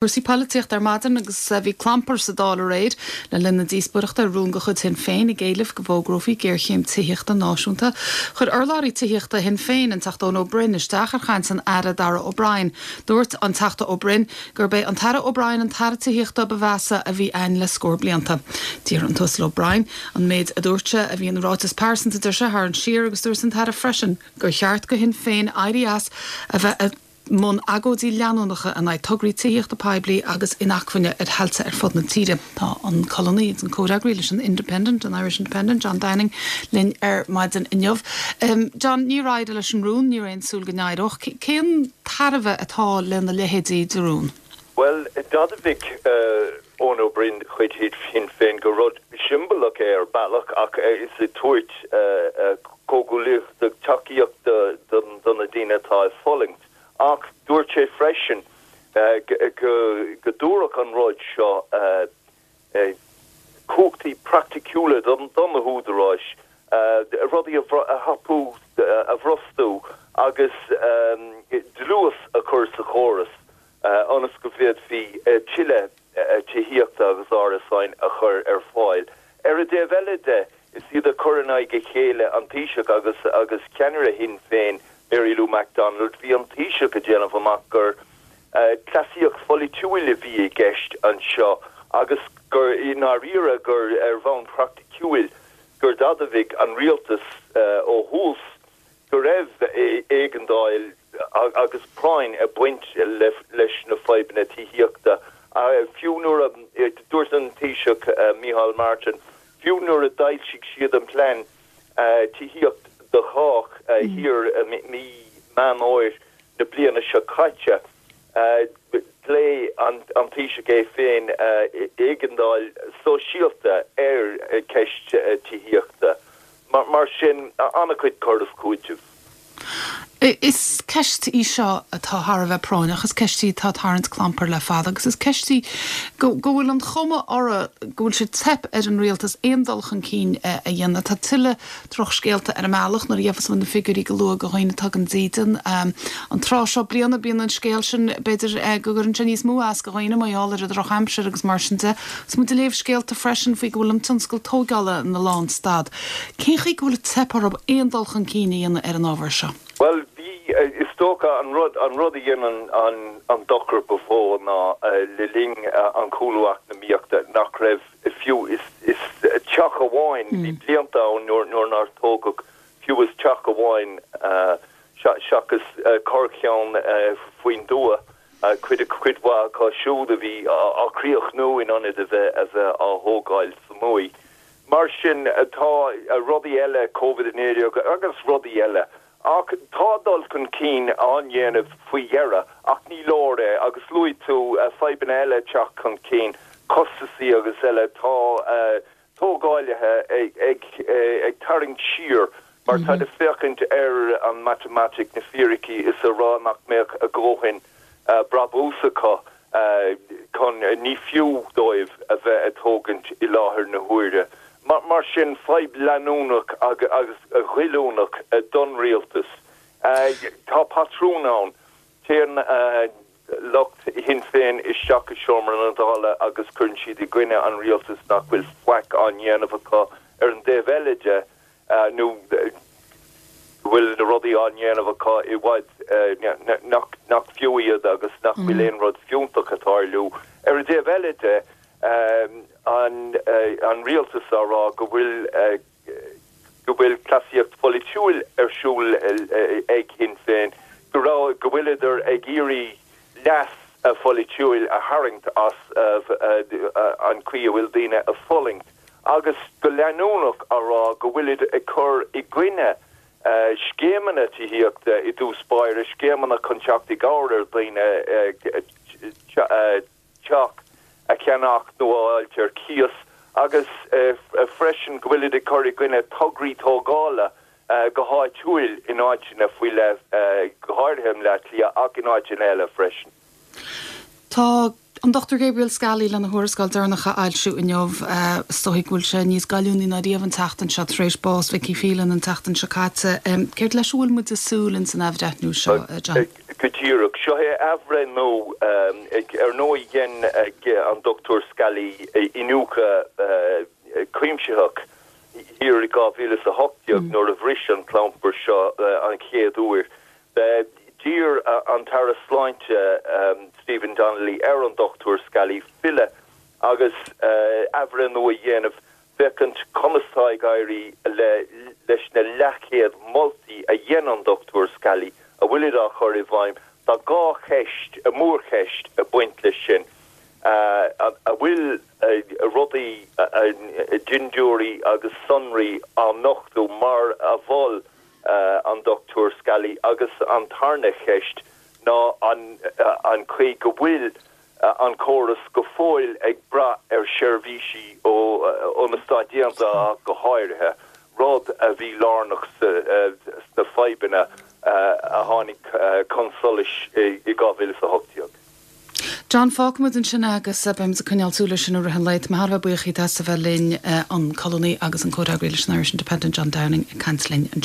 Cúrsaí polaitíochta ar maidin agus bhí clampar sa Dáil aréir le linn na díospóireachta ar rún de chuid Shinn Féin ag éileamh go bhfógrófaí géarchéim tithíochta náisiúnta. Chuir urlabhraí tithíochta Shinn Féin, an Teachta Eoin Ó Broin, isteach ar chaint an Aire Darragh O'Brien. Dúirt an Teachta Ó Broin gurb é an tAire O'Brien an tAire Tithíochta ba mheasa a bhí a'inn le scór blianta. D'iarr an tUasal O'Brien an méid a dúirt sé a bhí ina ráiteas pearsanta, deir sé, a tharraingt siar agus dúirt an tAire freisin gur cheart go Shinn Féin éirí as a bheith i mbun agóidí leanúnacha in aghaidh tograí tithíochta poiblí agus inacmhainne ar thailte ar fud na tíre. Tá an colúnaí agus an comhfhreagraí leis an Independent, an Irish Independent, John Downing, linn ar maidin inniu. John, níor éirigh leis an rún, ní raibh aon súil go n-éireodh. Cén tairbhe atá lena leithéidí de rún? Bhuel, d'admhaigh Eoin Ó Broin de chuid Shinn Féin gur rud siombalach é ar bealach ach is ag tabhairt comhghuaillíochta, tacaíocht do na daoine atá ag fulaingt. Ach dúirt sé freisin go dtabharfadh an rud seo cumhachtaí praiticiúla do na húdaráis rudaí a thapú, a bhrostú agus dlús a chur sa chóras ionas go bhféadfaí tuilleadh tithíochta agus árasáin a chur ar fáil. Ar an dtaobh eile de, is iad ag cur in aghaidh a chéile an Taoiseach agus agus ceannaire Shinn Féin, Mary Lou McDonald. Bhí an Taoiseach ag déanamh amach gur cleasaíocht pholaitiúil a bhí i gceist anseo agus gur i ndáiríre gur ar bhonn praiticiúil gur d'admhaigh an rialtas ó thús go raibh éigeandáil agus práinn ag baint leis na fadhbanna tithíochta. Fiú nuair a dúirt an Taoiseach Micheál Martin, fiú nuair a d'fhoilsigh siad an plean Tithíocht do Chách thiar i mí Meán Fhómhair na bliana seo caite, ghlaoigh an Taoiseach é féin éigeandáil sóisialta ar cheist tithíochta. Mar sin, an-chuid cur is cúiteamh. Is ceist í seo atá thar a bheith práinneach, is ceist í atá ag tarraingt clampair le fada agus is ceist í go bhfuil an chuma uirthi go bhfuil sé ag teip ar an rialtas aon dul chun cinn a dhéanamh. Tá tuilleadh drochscéalta ar an mbealach nuair a gheofas muid na figiúirí go luath do dhaoine atá gan dídean. An tráth seo bliana bíonn an scéal sin, b'fhéidir go gcuireann sé níos mó as do dhaoine mar gheall ar an drochaimsir agus mar sin de. Is muid ag léamh scéalta freisin faoi go bhfuil an tionscal tóigeála ina lánstad. Cén chaoi go bhfuil ag teip orthu aon dul chun cinn a dhéanamh ar an ábhar seo? Bhuel, bhí, is dócha, an rud, an rud a dhein an, an dochar ba mhó ná le linn an chúlú eacnamaíochta nach raibh fiú is, is teach amháin, bhí blianta ann nuair, nuair nár tógadh fiú is teach amháin seachas corrcheann faoin dtuath. Cuid, cuid mhaith acu siúd a bhí á críochnú in ionad a bheith, a bheith á thógáil sa mbuaidh. Mar sin, tá rudaí eile, Covid-19 agus rudaí eile, ach tá dul chun cinn á ndéanamh faoi dheireadh, ach ní leor é. Agus luaigh tú fadhbanna eile ag teacht chun cinn, costasaí agus eile, tá tógálaithe ag tarraingt siar mar táid ag féachaint ar an matamaitic, na fíricí, is a rá nach mbeadh a dhóthain brabús acu chun, ní fiú dóibh a bheith ag tógaint i láthair na huaire. Mar sin, fadhb leanúnach agus ghoilliúnach don rialtas. Tá patrún ann. Téann. lucht Shinn Féin isteach i seomra na Dála agus cuireann siad i gcoinne an rialtais nach bhfuil faic á ndéanamh acu ar an dtaobh eile de nó go bhfuil na rudaí á ndéanamh acu i bhfad nach nach fiú iad agus nach bhfuil aon rud fiúntach ag tarlú. Ar an dtaobh eile de an an rialtas á rá go bhfuil go bhfuil cleasaíocht pholaitiúil ar siúl ag Sinn Féin, go raibh, go bhfuileadar ag iarraidh leas pholaitiúil a tharraingt as an chaoi a bhfuil daoine ag fulaingt, agus go leanúnach á rá go bhfuilid ag cur i gcoinne scéimeanna tithíochta i dtús báire, scéimeanna chun teacht i gcabhair ar dhaoine teach a cheannach nó a fháilt ar cíos agus freisin go bhfuilid ag cur i gcoinne tograí tógála go háitiúil in áiteanna faoi leith, go háirithe i mBleá Cliath ach in áiteanna eile freisin. Tá. An Dr Gabriel Scally lena thuarascáil deireanach a fhoilsiú inniu. Is dóigh go bhfuil sé níos goilliúnaí ná riamh an tseachtain seo tar éis bás Vicky Phelan an tseachtain seo caite. Céard leis a bhfuil muid ag súil ins an athbhreithniú seo, John? Go díreach. Seo é athbhreithniú. Ar ndóigh dhein an Dr Scally iniúchadh cuimsitheach thiar i 2018 nuair a bhris an clampar seo an chéad uair. D'iarr an tAire Sláinte Stephen Donnelly ar an Dr Scally filleadh agus athbhreithniú a dhéanamh féachaint conas tá ag éirí leis na leathchéad moltaí a dhein an Dr Scally, a bhfuilid á chur i bhfeidhm. Tá dhá cheist, mórcheist ag baint leis sin. An bhfuil rudaí, dintiúirí agus sonraí á nochtadh mar a mhol an Dr Scally agus an tarna cheist ná an chaoi go bhfuil an córas go fóill ag brath ar sheirbhísí ó na Stáit Aontaithe ach go háirithe, rud a bhí lárnach sna fadhbanna a tháinig chun solais i 2018. John, fágfaimid ansin é agus beimid ag coinneáil súil air sin i rith an lae. Tá mé thar a bheith buíoch díot as a bheith linn, an colúnaí agus an comhfhreagraí leis an Irish Independent, John Downing, ag caint linn anseo.